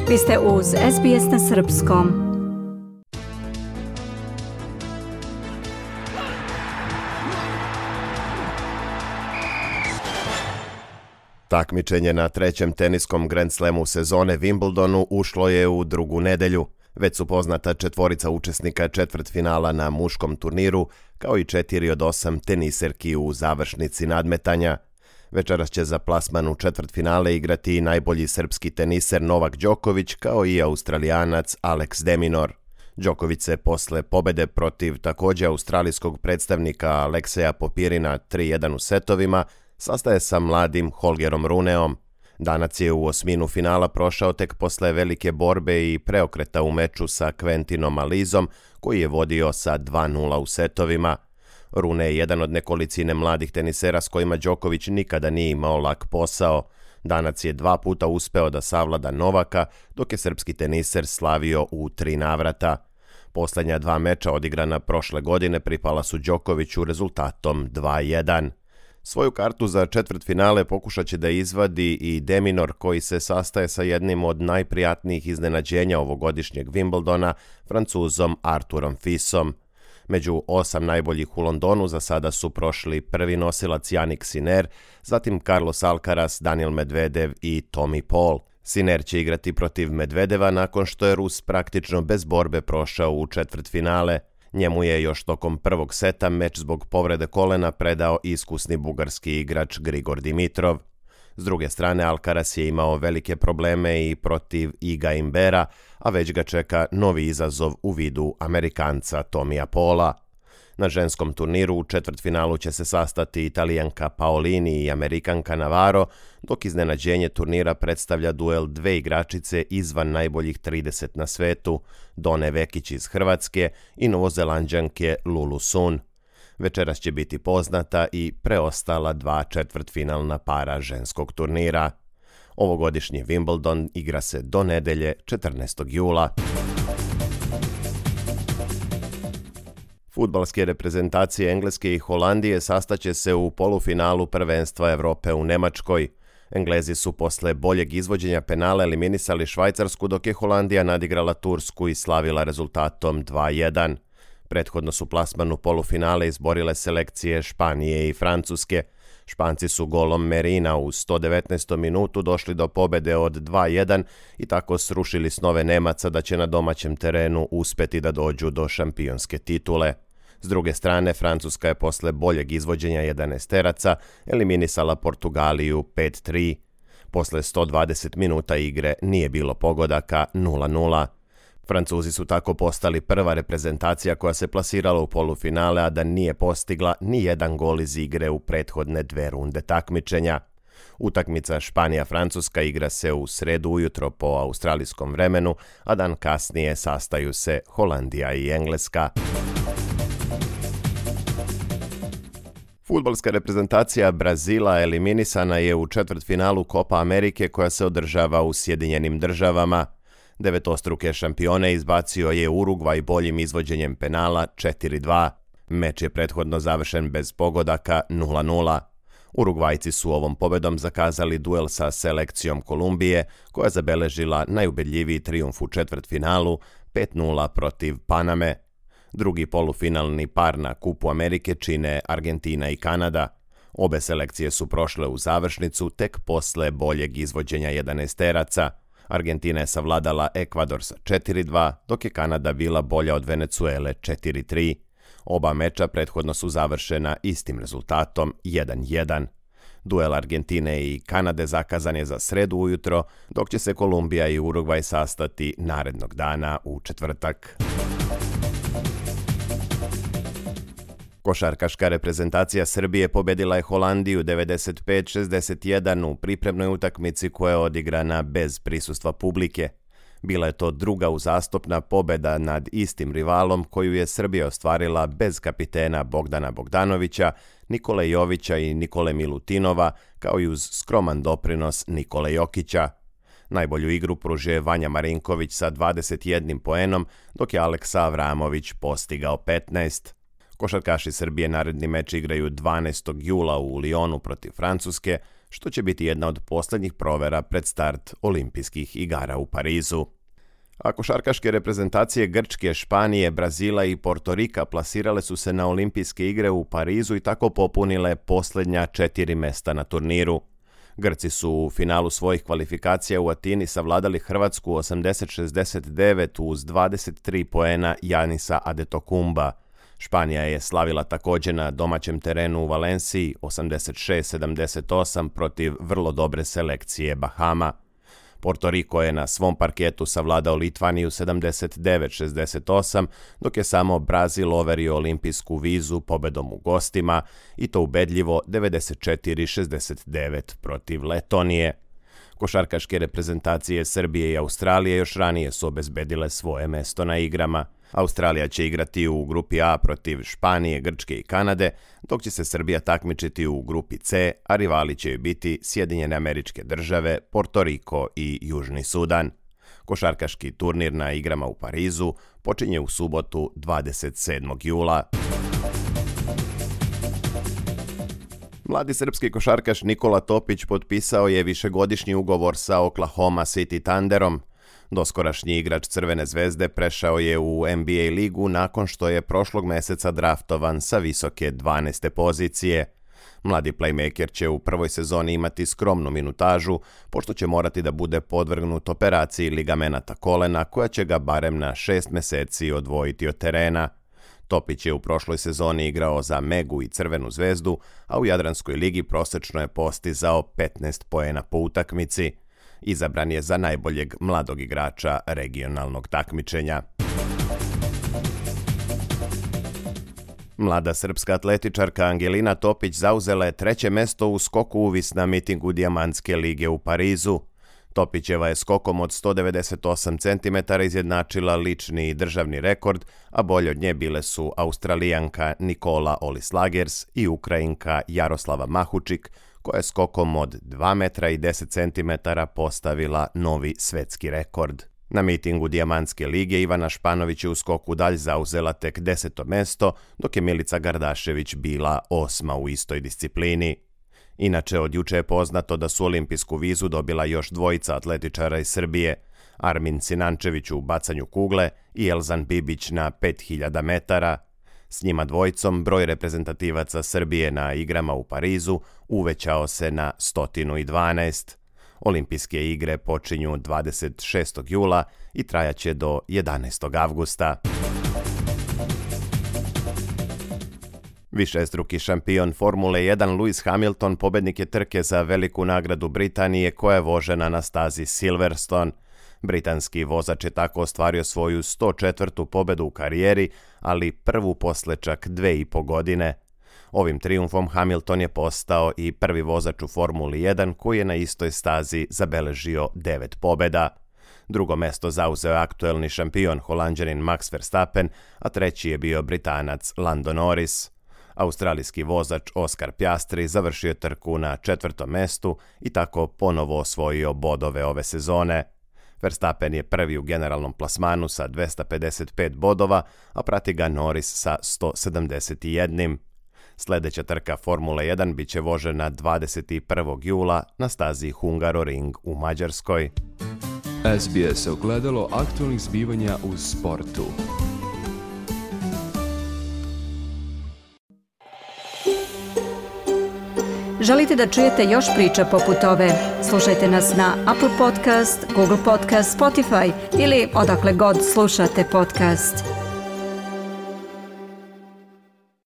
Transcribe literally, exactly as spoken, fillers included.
Vi ste uz S B S na srpskom. Takmičenje na trećem teniskom Grand Slamu sezone Wimbledonu ušlo je u drugu nedelju. Već su poznata četvorica učesnika četvrtfinala na muškom turniru, kao i četiri od osam teniserki u završnici nadmetanja. Večeras će za plasman u četvrtfinale igrati najbolji srpski teniser Novak Đoković, kao i Australijanac Alex de Minaur. Đoković se posle pobede protiv također australijskog predstavnika Alekseja Popirina tri jedan u setovima sastaje sa mladim Holgerom Runeom. Danac je u osminu finala prošao tek posle velike borbe i preokreta u meču sa Quentinom Alizom, koji je vodio sa dva nula u setovima. Rune je jedan od nekolicine mladih tenisera s kojima Đoković nikada nije imao lak posao. Danac je dva puta uspeo da savlada Novaka, dok je srpski teniser slavio u tri navrata. Poslednja dva meča odigrana prošle godine pripala su Đokoviću rezultatom dva jedan. Svoju kartu za četvrtfinale pokušat će da izvadi i de Minaur, koji se sastaje sa jednim od najprijatnijih iznenađenja ovogodišnjeg Wimbledona, Francuzom Arturom Fisom. Među osam najboljih u Londonu za sada su prošli prvi nosilac Jannik Sinner, zatim Carlos Alcaraz, Daniel Medvedev i Tommy Paul. Sinner će igrati protiv Medvedeva nakon što je Rus praktično bez borbe prošao u četvrtfinale. Njemu je još tokom prvog seta meč zbog povrede kolena predao iskusni bugarski igrač Grigor Dimitrov. S druge strane, Alcaraz je imao velike probleme i protiv Iga Imbera, a već ga čeka novi izazov u vidu Amerikanca Tomija Paula. Na ženskom turniru u četvrtfinalu će se sastati Italijanka Paolini i Amerikanka Navarro, dok iznenađenje turnira predstavlja duel dve igračice izvan najboljih trideset na svetu, Done Vekić iz Hrvatske i Novozelanđanke Lulu Sun. Večeras će biti poznata i preostala dva četvrtfinalna para ženskog turnira. Ovogodišnji Wimbledon igra se do nedelje četrnaestog jula. Fudbalske reprezentacije Engleske i Holandije sastaće se u polufinalu prvenstva Evrope u Nemačkoj. Englezi su posle boljeg izvođenja penala eliminisali Švajcarsku, dok je Holandija nadigrala Tursku i slavila rezultatom dva jedan. Prethodno su plasman u polufinale izborile selekcije Španije i Francuske. Španci su golom Merina u sto devetnaestom minutu došli do pobede od dva jedan i tako srušili snove Nemaca da će na domaćem terenu uspeti da dođu do šampionske titule. S druge strane, Francuska je posle boljeg izvođenja jedanaesteraca eliminisala Portugaliju pet tri. Posle sto dvadeset minuta igre nije bilo pogodaka, nula nula. Francuzi su tako postali prva reprezentacija koja se plasirala u polufinale, a da nije postigla ni jedan gol iz igre u prethodne dve runde takmičenja. Utakmica Španija-Francuska igra se u sredu ujutro po australijskom vremenu, a dan kasnije sastaju se Holandija i Engleska. Fudbalska reprezentacija Brazila eliminisana je u četvrtfinalu Kopa Amerike koja se održava u Sjedinjenim državama. Devetostruke šampione izbacio je Urugvaj boljim izvođenjem penala četiri dva. Meč je prethodno završen bez pogodaka nula nula. Urugvajci su ovom pobedom zakazali duel sa selekcijom Kolumbije, koja je zabeležila najubedljiviji trijumf u četvrtfinalu pet nula protiv Paname. Drugi polufinalni par na Kupu Amerike čine Argentina i Kanada. Obe selekcije su prošle u završnicu tek posle boljeg izvođenja jedanaesteraca. Argentina je savladala Ekvador sa četiri dva, dok je Kanada bila bolja od Venecuele četiri tri. Oba meča prethodno su završena istim rezultatom jedan jedan. Duel Argentine i Kanade zakazan je za sredu ujutro, dok će se Kolumbija i Urugvaj sastati narednog dana u četvrtak. Košarkaška reprezentacija Srbije pobedila je Holandiju devedeset pet šezdeset jedan u pripremnoj utakmici koja je odigrana bez prisustva publike. Bila je to druga uzastopna pobeda nad istim rivalom koju je Srbija ostvarila bez kapitena Bogdana Bogdanovića, Nikole Jovića i Nikole Milutinova, kao i uz skroman doprinos Nikole Jokića. Najbolju igru pružio je Vanja Marinković sa dvadeset jednim poenom, dok je Aleksa Avramović postigao petnaest. Košarkaši Srbije naredni meč igraju dvanaestog jula u Lionu protiv Francuske, što će biti jedna od posljednjih provera pred start olimpijskih igara u Parizu. A košarkaške reprezentacije Grčke, Španije, Brazila i Portorika plasirale su se na olimpijske igre u Parizu i tako popunile posljednja četiri mesta na turniru. Grci su u finalu svojih kvalifikacija u Atini savladali Hrvatsku osamdeset šezdeset devet uz dvadeset tri poena Janisa Adetokumba. Španija je slavila također na domaćem terenu u Valenciji osamdeset šest sedamdeset osam protiv vrlo dobre selekcije Bahama. Portoriko je na svom parketu savladao Litvaniju sedamdeset devet šezdeset osam, dok je samo Brazil overio olimpijsku vizu pobedom u gostima i to ubedljivo devedeset četiri šezdeset devet protiv Letonije. Košarkaške reprezentacije Srbije i Australije još ranije su obezbedile svoje mesto na igrama. Australija će igrati u grupi A protiv Španije, Grčke i Kanade, dok će se Srbija takmičiti u grupi C, a rivali će biti Sjedinjene Američke Države, Portoriko i Južni Sudan. Košarkaški turnir na igrama u Parizu počinje u subotu dvadeset sedmog jula. Mladi srpski košarkaš Nikola Topić potpisao je višegodišnji ugovor sa Oklahoma City Thunderom. Doskorašnji igrač Crvene zvezde prešao je u N B A ligu nakon što je prošlog meseca draftovan sa visoke dvanaeste pozicije. Mladi playmaker će u prvoj sezoni imati skromnu minutažu, pošto će morati da bude podvrgnut operaciji ligamenata kolena koja će ga barem na šest meseci odvojiti od terena. Topić je u prošloj sezoni igrao za Megu i Crvenu zvezdu, a u Jadranskoj ligi prosečno je postizao petnaest poena po utakmici. Izabran je za najboljeg mladog igrača regionalnog takmičenja. Mlada srpska atletičarka Angelina Topić zauzela je treće mesto u skoku uvis na mitingu Dijamantske lige u Parizu. Topićeva je skokom od sto devedeset osam centimetara izjednačila lični i državni rekord, a bolje od nje bile su Australijanka Nikola Olislagers i Ukrajinka Jaroslava Mahučik, koja je skokom od dva metra i deset centimetara postavila novi svetski rekord. Na mitingu Dijamantske lige Ivana Španović je u skoku dalj zauzela tek deseto mesto, dok je Milica Gardašević bila osma u istoj disciplini. Inače, od juče je poznato da su olimpijsku vizu dobila još dvojica atletičara iz Srbije, Armin Sinančević u bacanju kugle i Elzan Bibić na pet hiljada metara. S njima dvojicom broj reprezentativaca Srbije na igrama u Parizu uvećao se na sto dvanaest. Olimpijske igre počinju dvadeset šestog jula i trajaće do jedanaestog avgusta. Višestruki šampion Formule jedan Lewis Hamilton pobednik je trke za veliku nagradu Britanije koja je vožena na stazi Silverstone. Britanski vozač je tako ostvario svoju sto četvrtu pobedu u karijeri, ali prvu posle čak dve i po godine. Ovim trijumfom Hamilton je postao i prvi vozač u Formuli jedan koji je na istoj stazi zabeležio devet pobeda. Drugo mesto zauzeo je aktuelni šampion Holanđanin Max Verstappen, a treći je bio Britanac Lando Norris. Australijski vozač Oscar Piastri završio je trku na četvrtom mestu i tako ponovo osvojio bodove ove sezone. Verstappen je prvi u generalnom plasmanu sa dvesta pedeset pet bodova, a prati ga Norris sa sto sedamdeset jedan. Sljedeća trka Formule jedan biće vožena dvadeset prvog jula na stazi Hungaroring u Mađarskoj. S B S ogledalo aktualnih zbivanja u sportu. Želite da čujete još priča poput ove? Slušajte nas na Apple Podcast, Google Podcast, Spotify ili odakle god slušate podcast.